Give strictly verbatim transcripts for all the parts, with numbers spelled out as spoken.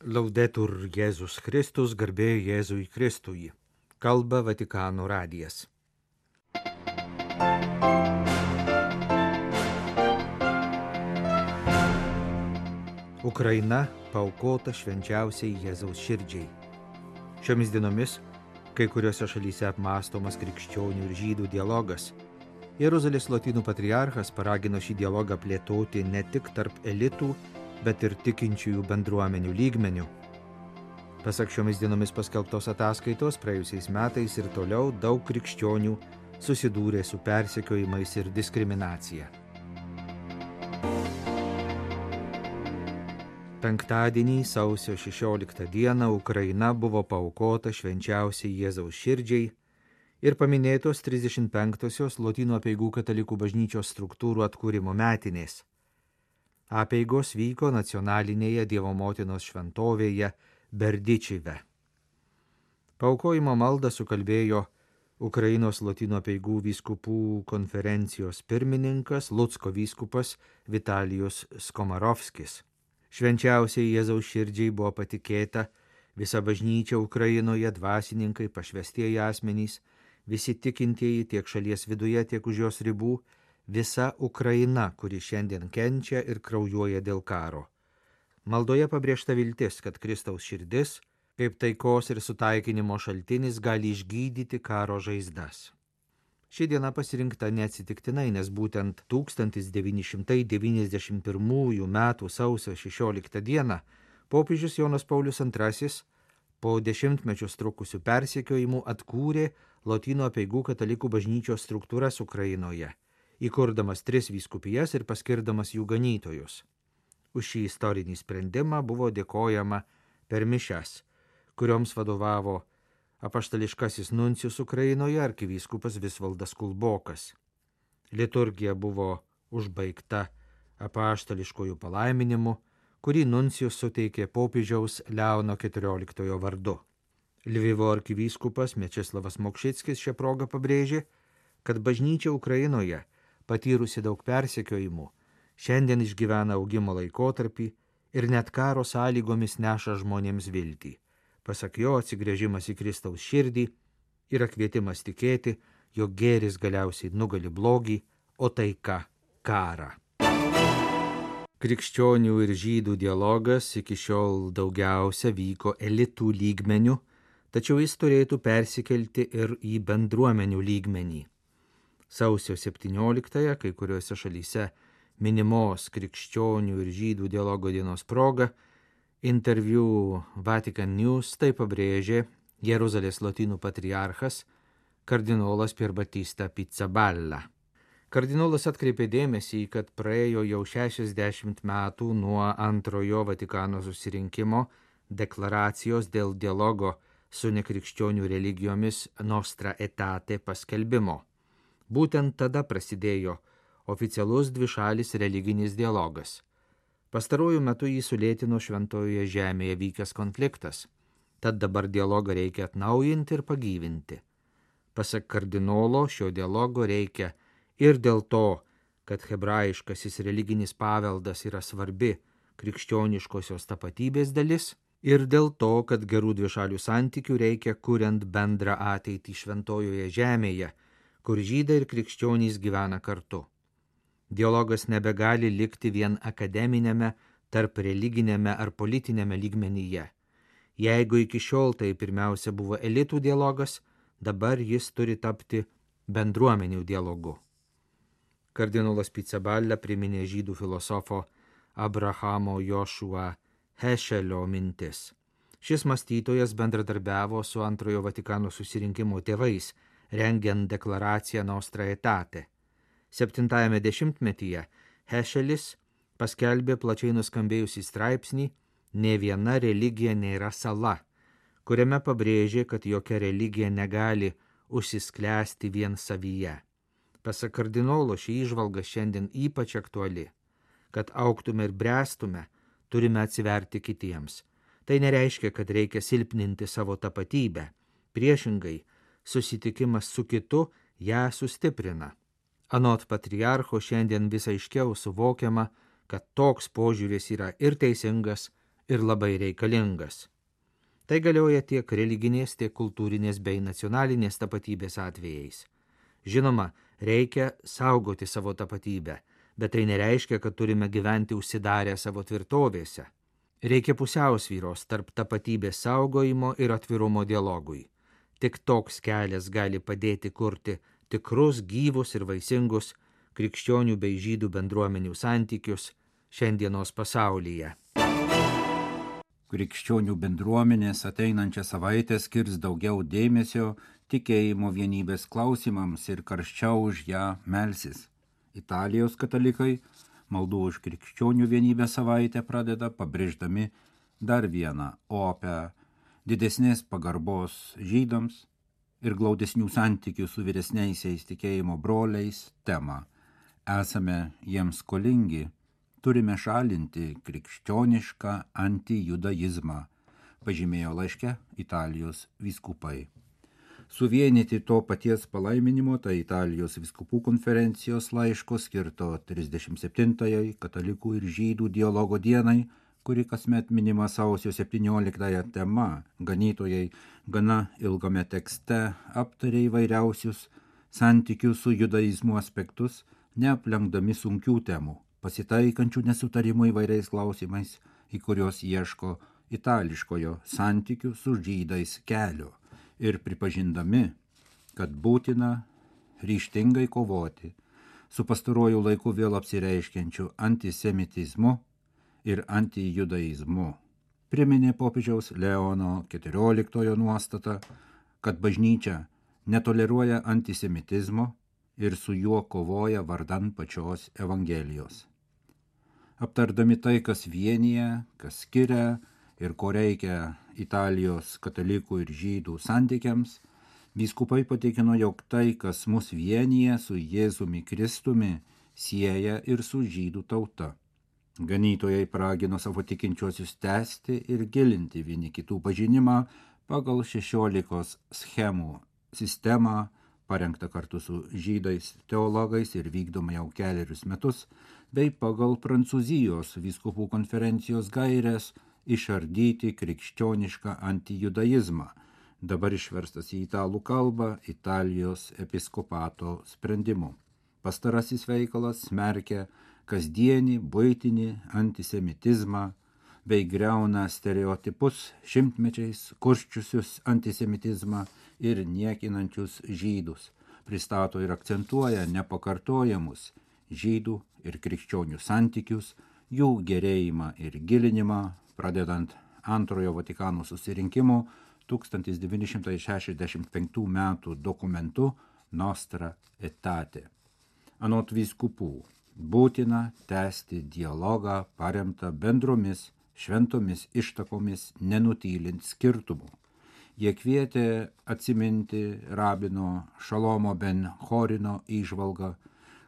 Laudetur Jėzus Kristus, garbė Jėzui Kristui. Kalba Vatikano radijas. Ukraina paaukota švenčiausiai Jėzaus širdžiai. Šiomis dienomis kai kuriuose šalyse apmąstomas krikščionių ir žydų dialogas. Jeruzalės lotynų patriarchas paragino šį dialogą plėtoti ne tik tarp elitų, bet ir tikinčiųjų bendruomenių lygmenių. Pasak šiomis dienomis paskelbtos ataskaitos, praėjusiais metais ir toliau daug krikščionių susidūrė su persekiojimais ir diskriminacija. Penktadienį, sausio šešioliktą dieną, Ukraina buvo paaukota švenčiausiai Jėzaus širdžiai ir paminėtos trisdešimt penktosios Lotynų apeigų katalikų bažnyčios struktūrų atkūrimo metinės. Apeigos vyko nacionalinėje Dievo motinos šventovėje Berdičive. Paaukojimo maldą sukalbėjo Ukrainos Lotynų apeigų vyskupų konferencijos pirmininkas Lucko vyskupas Vitalijus Skomarovskis. Švenčiausiai Jėzaus širdžiai buvo patikėta visa bažnyčia Ukrainoje, dvasininkai, pašvestieji asmenys, visi tikintieji tiek šalies viduje, tiek už jos ribų, visa Ukraina, kuri šiandien kenčia ir kraujuoja dėl karo. Maldoje pabrėžta viltis, kad Kristaus širdis, kaip taikos ir sutaikinimo šaltinis, gali išgydyti karo žaizdas. Ši diena pasirinkta neatsitiktinai, nes būtent tūkstantis devyni šimtai devyniasdešimt pirmųjų metų sausio šešioliktą dieną popiežius Jonas Paulius antrasis po dešimtmečius trukusių persekiojimų atkūrė Lotynų apeigų katalikų bažnyčios struktūras Ukrainoje, įkurdamas tris vyskupijas ir paskirdamas jų ganytojus. Už šį istorinį sprendimą buvo dėkojama per mišias, kurioms vadovavo apaštališkasis nuncijus Ukrainoje arkivyskupas Visvaldas Kulbokas. Liturgija buvo užbaigta apaštališkojų palaiminimu, kurį nuncijus suteikė popiežiaus Leono keturioliktojo vardu. Lvivo arkivyskupas Mečislavas Mokšickis šią progą pabrėžė, kad bažnyčia Ukrainoje, patyrusi daug persekiojimų, šiandien išgyvena augimo laikotarpį ir net karo sąlygomis neša žmonėms viltį. Pasak jo, atsigręžimas į Kristaus širdį yra kvietimas tikėti, jog gėris galiausiai nugali blogį, o taika karą. Krikščionių ir žydų dialogas iki šiol daugiausia vyko elitų lygmenių, tačiau jis turėtų persikelti ir į bendruomenių lygmenį. Sausio septynioliktąją kai kuriuose šalyse minimos krikščionių ir žydų dialogo dienos proga interviu Vatican News tai pabrėžė Jeruzalės lotynų patriarchas kardinolas Pierbattista Pizzaballa. Kardinolas atkreipė dėmesį, kad praėjo jau šešiasdešimt metų nuo antrojo Vatikano susirinkimo deklaracijos dėl dialogo su nekrikščionių religijomis Nostra Aetate paskelbimo. Būtent tada prasidėjo oficialus dvišalis religinis dialogas. Pastaruoju metu jį sulėtino Šventojoje žemėje vykęs konfliktas, tad dabar dialogą reikia atnaujinti ir pagyvinti. Pasak kardinolo, šio dialogo reikia ir dėl to, kad hebrajiškasis religinis paveldas yra svarbi krikščioniškosios tapatybės dalis, ir dėl to, kad gerų dvišalių santykių reikia kuriant bendrą ateitį Šventojoje žemėje, kur žydai ir krikščionys gyvena kartu. Dialogas nebegali likti vien akademinėme, tarp religinėme ar politinėme lygmenyje. Jeigu iki šiol tai pirmiausia buvo elitų dialogas, dabar jis turi tapti bendruomenių dialogu. Kardinolas Pizzaballa priminė žydų filosofo Abrahamo Joshua Heschelio mintis. Šis mąstytojas bendradarbiavo su antrojo Vatikano susirinkimo tėvais, rengiant deklaraciją Nostra Aetate. Septintajame dešimtmetyje Heschelis paskelbė plačiai nuskambėjusį straipsnį "Nė viena religija nėra sala", kuriame pabrėžė, kad jokia religija negali užsisklęsti vien savyje. Pasak kardinolo, ši įžvalga šiandien ypač aktuali. Kad augtume ir bręstume, turime atsiverti kitiems. Tai nereiškia, kad reikia silpninti savo tapatybę. Priešingai, susitikimas su kitu ją sustiprina. Anot patriarcho šiandien vis aiškiau suvokiama, kad toks požiūris yra ir teisingas, ir labai reikalingas. Tai galioja tiek religinės, tiek kultūrinės bei nacionalinės tapatybės atvejais. Žinoma, reikia saugoti savo tapatybę, bet tai nereiškia, kad turime gyventi užsidarę savo tvirtovėse. Reikia pusiausvyros tarp tapatybės saugojimo ir atvirumo dialogui. Tik toks kelias gali padėti kurti tikrus, gyvus ir vaisingus krikščionių bei žydų bendruomenių santykius šiandienos pasaulyje. Krikščionių bendruomenės ateinančią savaitę skirs daugiau dėmesio tikėjimo vienybės klausimams ir karščiau už ją melsis. Italijos katalikai maldų už krikščionių vienybę savaitę pradeda pabrėždami dar vieną opę didesnės pagarbos žydams ir glaudesnių santykių su vyresniaisiais tikėjimo broliais temą. Esame jiems skolingi, turime šalinti krikščionišką antijudaizmą, pažymėjo laiške Italijos vyskupai. Suvienyti to paties palaiminimo, tai Italijos vyskupų konferencijos laiško skirto trisdešimt septintajai katalikų ir žydų dialogo dienai, kuri kasmet minima sausio septynioliktąją tema. Ganytojai gana ilgame tekste aptarė įvairiausius santykių su judaizmu aspektus, neaplenkdami sunkių temų, pasitaikančių nesutarimų įvairiais klausimais, į kurios ieško itališkojo santykių su žydais kelio ir pripažindami, kad būtina ryžtingai kovoti su pastaruoju laiku vėl apsireiškiančiu antisemitizmu ir antijudaizmu. Priminė popiežiaus Leono keturioliktojo nuostatą, kad bažnyčia netoleruoja antisemitizmo ir su juo kovoja vardan pačios Evangelijos. Aptardami tai, kas vienyje, kas skiria ir ko reikia Italijos katalikų ir žydų santykiams, vyskupai patikino, jog tai, kas mus vienyje su Jėzumi Kristumi, sieja ir su žydų tauta. Ganytojai paragino savo tikinčiuosius tęsti ir gilinti vieni kitų pažinimą pagal šešiolikos schemų sistemą, parengta kartu su žydais teologais ir vykdoma jau kelerius metus, bei pagal Prancūzijos vyskupų konferencijos gaires išardyti krikščionišką antijudaizmą, dabar išverstas į italų kalbą Italijos episkopato sprendimu. Pastarasis veikalas smerkia kasdienį buitinį antisemitizmą bei griauna stereotipus šimtmečiais kurščiusius antisemitizmą ir niekinančius žydus, pristato ir akcentuoja nepakartojamus žydų ir krikščionių santykius, jų gerėjimą ir gilinimą, pradedant antrojo Vatikano susirinkimo tūkstantis devyni šimtai šešiasdešimt penktų metų dokumentu Nostra Aetate. Anot vyskupų, būtina tęsti dialogą paremtą bendromis šventomis ištakomis, nenutylint skirtumų. Jie kvietė atsiminti rabino Šalomo ben Chorino įžvalgą,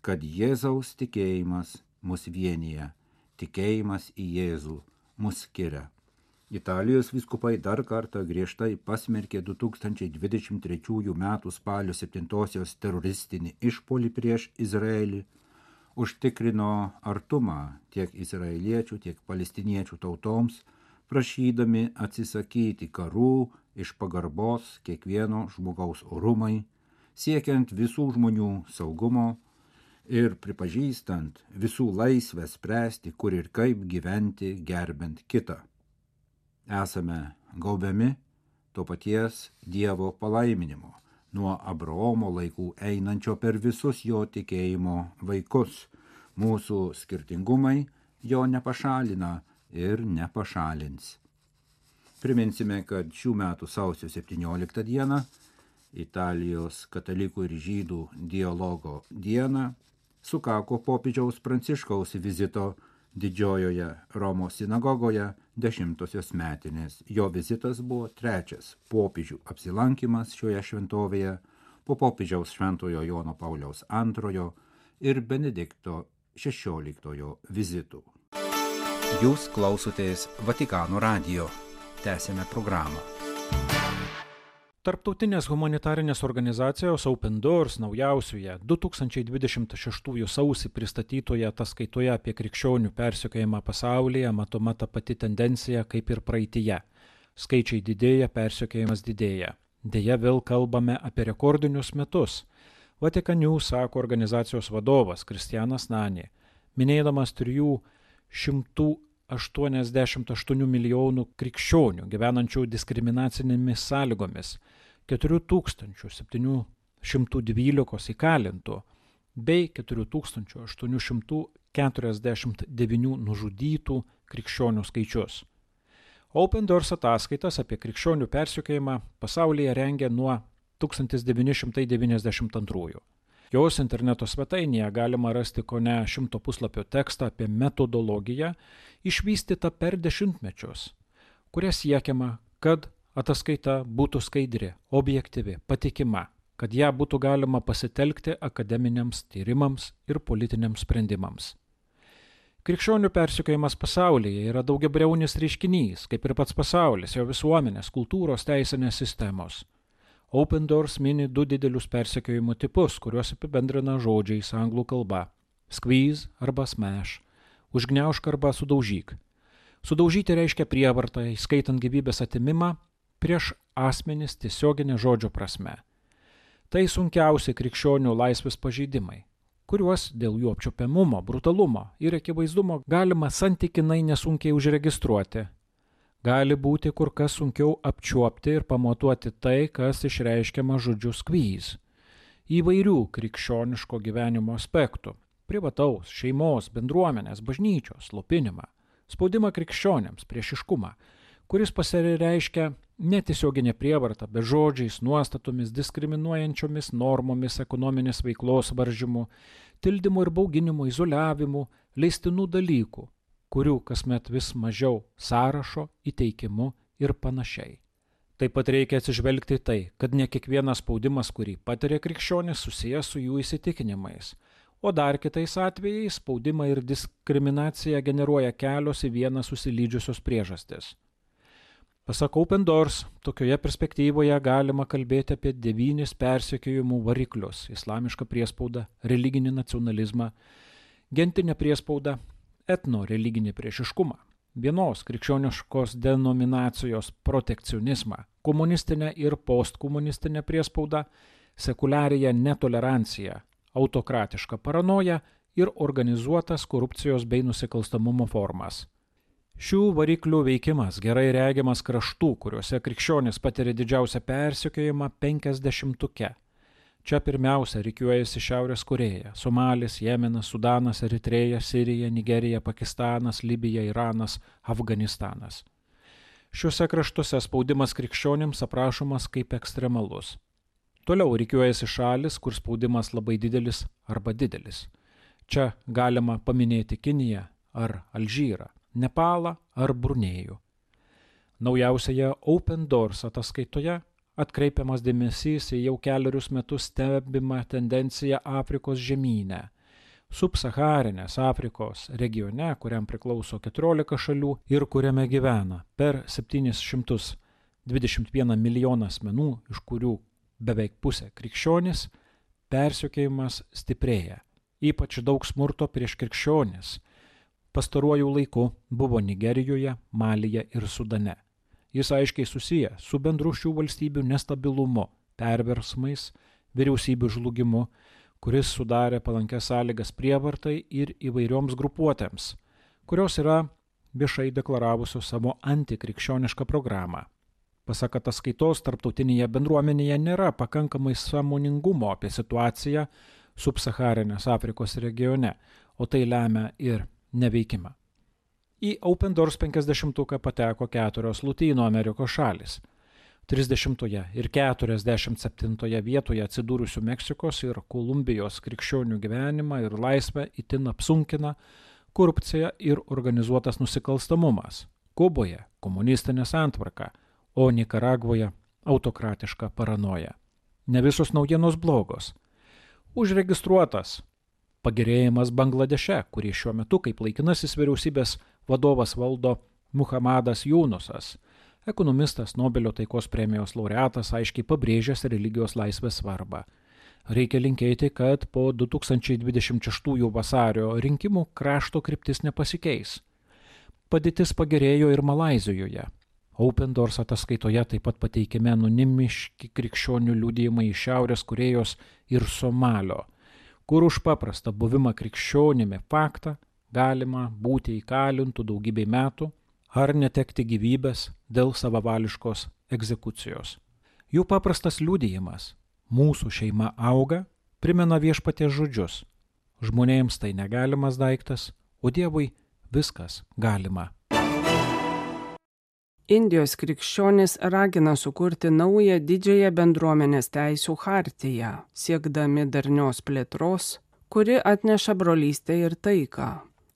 kad Jėzaus tikėjimas mus vienyje, tikėjimas į Jėzų mus skiria. Italijos vyskupai dar kartą griežtai pasmerkė du tūkstančiai dvidešimt trečiųjų metų spalio septintosios teroristinį išpuolį prieš Izraelį, užtikrino artumą tiek izraeliečių, tiek palestiniečių tautoms, prašydami atsisakyti karų iš pagarbos kiekvieno žmogaus orumai, siekiant visų žmonių saugumo ir pripažįstant visų laisvę spręsti, kur ir kaip gyventi gerbent kitą. Esame gaubiami to paties Dievo palaiminimo, nuo Abraomo laikų einančio per visus jo tikėjimo vaikus. Mūsų skirtingumai jo nepašalina ir nepašalins. Priminsime, kad šių metų sausio septynioliktą dieną, Italijos katalikų ir žydų dialogo dieną, sukako popiežiaus Pranciškaus vizito Didžiojoje Romos sinagogoje dešimtosios metinės. Jo vizitas buvo trečias popiežių apsilankimas šioje šventovėje po popiežiaus šventojo Jono Pauliaus antrojo ir Benedikto šešioliktojo vizitų. Jūs klausotės Vatikano radijo. Tęsėme programą. Tarptautinės humanitarinės organizacijos Open Doors naujausioje du tūkstančiai dvidešimt šeštųjų sausį pristatytoje ataskaitoje apie krikščionių persekiojimą pasaulyje matoma ta pati tendencija kaip ir praeityje. Skaičiai didėja, persekiojimas didėja. Deja, vėl kalbame apie rekordinius metus. Vatican News sako organizacijos vadovas Kristianas Nani, minėdamas trijų šimtų aštuoniasdešimt aštuonių milijonų krikščionių gyvenančių diskriminacinėmis sąlygomis, keturi tūkstančiai septyni šimtai dvylika įkalintų bei keturi tūkstančiai aštuoni šimtai keturiasdešimt devyni nužudytų krikščionių skaičius. Open Doors ataskaitas apie krikščionių persekiojimą pasaulyje rengia nuo tūkstantis devyni šimtai devyniasdešimt antrųjų. Jos interneto svetainėje galima rasti kone šimto puslapio tekstą apie metodologiją išvystytą per dešimtmečius, kuria siekiama, kad ataskaita būtų skaidri, objektyvi, patikima, kad ją būtų galima pasitelkti akademiniams tyrimams ir politiniams sprendimams. Krikščionių persekiojimas pasaulyje yra daugiabriaunis reiškinys, kaip ir pats pasaulis, jo visuomenės, kultūros, teisinės sistemos. Open Doors mini du didelius persekiojimo tipus, kuriuos apibendrina žodžiais anglų kalba – squeeze arba smash, užgniaužk arba sudaužyk. Sudaužyti reiškia prievartą, įskaitant gyvybės atimimą, prieš asmenis tiesioginė žodžio prasme. Tai sunkiausi krikščionių laisvės pažeidimai, kuriuos dėl jų apčiuopiamumo, brutalumo ir akivaizdumo galima santykinai nesunkiai užregistruoti. Gali būti kur kas sunkiau apčiuopti ir pamatuoti tai, kas išreiškiama žodžiu squeeze. Įvairių krikščioniško gyvenimo aspektų – privataus, šeimos, bendruomenės, bažnyčios, slopinimą, spaudimą krikščionėms, priešiškumą, kuris pasireiškia netiesioginė prievarta, bet žodžiais, nuostatomis, diskriminuojančiomis normomis, ekonominės veiklos varžymu, tildymu ir bauginimu, izoliavimu, leistinų dalykų, kurių kasmet vis mažiau sąrašo, įteikimu ir panašiai. Taip pat reikia atsižvelgti tai, kad ne kiekvienas spaudimas, kurį patiria krikščionis, susijęs su jų įsitikinimais, o dar kitais atvejais spaudimą ir diskriminaciją generuoja kelios į vieną susilydžiusios priežastis. Pasak Open Doors, tokioje perspektyvoje galima kalbėti apie devynis persekiojimų variklius – islamišką priespaudą, religinį nacionalizmą, gentinę priespaudą, etno-religinį priešiškumą, vienos krikščioniškos denominacijos protekcionizmą, komunistinę ir postkomunistinę priespaudą, sekuliariją netoleranciją, autokratišką paranoją ir organizuotas korupcijos bei nusikalstamumo formas. Šių variklių veikimas gerai regiamas kraštų, kuriuose krikščionys patiria didžiausią persekiojimą penkiasdešimtuke. Čia pirmiausia rikiuojasi Šiaurės Korėja, Somalis, Jemenas, Sudanas, Eritreja, Sirija, Nigerija, Pakistanas, Libija, Iranas, Afganistanas. Šiuose kraštuose spaudimas krikščionims aprašomas kaip ekstremalus. Toliau rikiuojasi šalis, kur spaudimas labai didelis arba didelis. Čia galima paminėti Kiniją ar Alžyrą, Nepalą ar Brunėjų. Naujausioje Open Doors ataskaitoje atkreipiamas dėmesys į jau kelerius metus stebimą tendenciją Afrikos žemyne. Subsaharinės Afrikos regione, kuriam priklauso keturiolika šalių ir kuriame gyvena per septynis šimtus dvidešimt vieną milijoną asmenų, iš kurių beveik pusė krikščionys, persekiojimas stiprėja. Ypač daug smurto prieš krikščionis pastaruoju laiku buvo Nigerijoje, Malyje ir Sudane. Jis aiškiai susiję su bendru šių valstybių nestabilumu, perversmais, vyriausybių žlugimu, kuris sudarė palankias sąlygas prievartai ir įvairioms grupuotėms, kurios yra viešai deklaravusios savo antikrikščionišką programą. Pasak ataskaitos, tarptautinėje bendruomenėje nėra pakankamai sąmoningumo apie situaciją subsaharinės Afrikos regione, o tai lemia ir neveikimą. Į Open Doors penkiasdešimtuką pateko keturios Lotynų Amerikos šalys. trisdešimtoje ir keturiasdešimt septintoje vietoje atsidūrusių Meksikos ir Kolumbijos krikščionių gyvenimą ir laisvę itin apsunkina korupcija ir organizuotas nusikalstamumas. Kuboje komunistinė santvarka, o Nikaragvoje autokratiška paranoja. Ne visos naujienos blogos. Užregistruotas pagerėjimas Bangladeše, kurį šiuo metu kaip laikinasis vyriausybės vadovas valdo Muhamadas Junusas, Ekonomistas, Nobelio taikos premijos laureatas aiškiai pabrėžęs religijos laisvės svarbą. Reikia linkėti, kad po du tūkstančiai dvidešimt šeštųjų vasario rinkimų krašto kryptis nepasikeis. Padėtis pagerėjo ir Malaizijoje. Open Doors ataskaitoje taip pat pateikiami anonimiški krikščionių liudijimai iš Šiaurės Korėjos ir Somalio, kur už paprastą buvimą krikščionimi faktą galima būti įkalintų daugybei metų ar netekti gyvybės dėl savavališkos egzekucijos. Jų paprastas liudijimas "Mūsų šeima auga" primena Viešpaties žodžius. Žmonėms tai negalimas daiktas, o Dievui viskas galima. Indijos krikščionys ragina sukurti naują didžiąją bendruomenės teisių chartiją, siekdami darnios plėtros, kuri atneša brolystę ir taiką.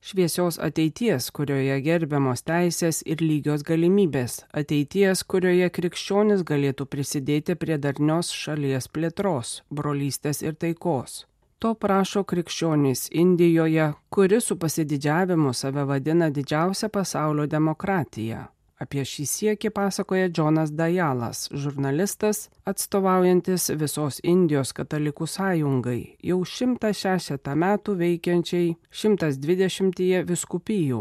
Šviesios ateities, kurioje gerbiamos teisės ir lygios galimybės, ateities, kurioje krikščionis galėtų prisidėti prie darnios šalies plėtros, brolystės ir taikos. To prašo krikščionys Indijoje, kuri su pasididžiavimu save vadina didžiausia pasaulio demokratija. Apie šį siekį pasakoja Džonas Dajalas, žurnalistas, atstovaujantis visos Indijos katalikų sąjungai, jau šimtą šešiasdešimt metų veikiančiai šimtas dvidešimtyje vyskupijų.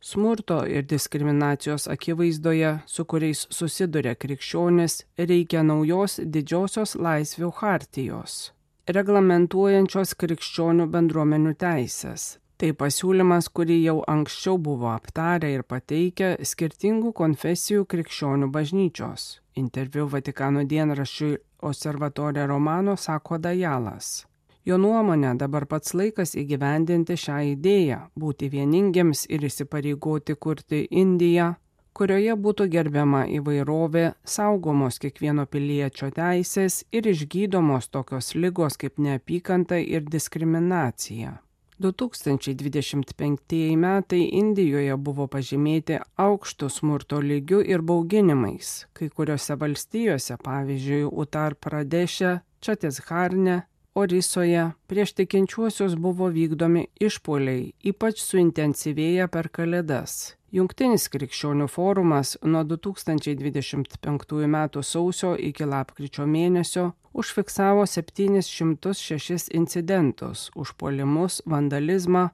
Smurto ir diskriminacijos akivaizdoje, su kuriais susiduria krikščionis, reikia naujos didžiosios laisvių chartijos, reglamentuojančios krikščionių bendruomenių teisės. Tai pasiūlymas, kurį jau anksčiau buvo aptarę ir pateikę skirtingų konfesijų krikščionių bažnyčios. Interviu Vatikano dienraščiui Osservatore Romano sako Dajalas. Jo nuomonė, dabar pats laikas įgyvendinti šią idėją, būti vieningiems ir įsipareigoti kurti Indiją, kurioje būtų gerbiama įvairovė, saugomos kiekvieno piliečio teisės ir išgydomos tokios ligos kaip neapykanta ir diskriminacija. du tūkstančiai dvidešimt penktieji metai Indijoje buvo pažymėti aukštų smurto lygių ir bauginimais. Kai kuriuose valstijose, pavyzdžiui, Utar Pradeše, Čatesgarne, Orisoje, prieš tikinčiuosius buvo vykdomi išpuoliai, ypač suintensyvėję per Kalėdas. Jungtinis krikščionių forumas nuo du tūkstančiai dvidešimt penktųjų metų sausio iki lapkričio mėnesio užfiksavo septynis šimtus šešis incidentus, užpuolimus, vandalizmą,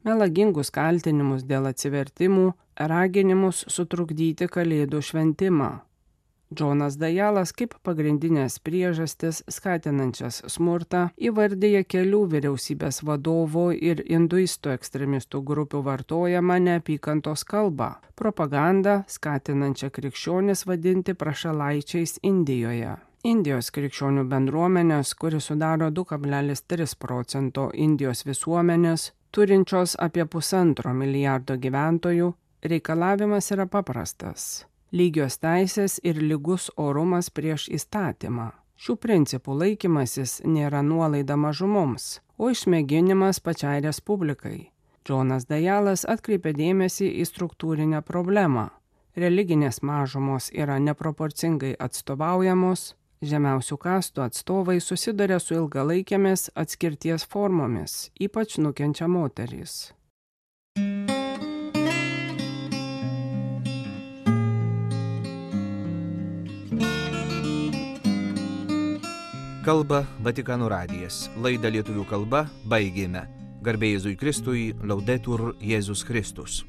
melagingus kaltinimus dėl atsivertimų, raginimus sutrukdyti Kalėdų šventimą. Džonas Dajalas kaip pagrindinės priežastis skatinančias smurtą įvardija kelių vyriausybės vadovų ir hinduistų ekstremistų grupių vartojamą neapykantos kalbą, propagandą skatinančią krikščionis vadinti prašalaičiais Indijoje. Indijos krikščionių bendruomenės, kuri sudaro du kablelis tris procento Indijos visuomenės, turinčios apie pusantro milijardo gyventojų, reikalavimas yra paprastas. Lygios teisės ir lygus orumas prieš įstatymą. Šių principų laikymasis nėra nuolaida mažumoms, o išmėginimas pačiai respublikai. Džonas Dajalas atkreipė dėmesį į struktūrinę problemą. Religinės mažumos yra neproporcingai atstovaujamos, žemiausių kastų atstovai susiduria su ilgalaikėmis atskirties formomis, ypač nukenčia moterys. Kalba Vatikano radijas. Laidą lietuvių kalba baigėme. Garbė Jėzui Kristui, Laudetur Jėzus Kristus.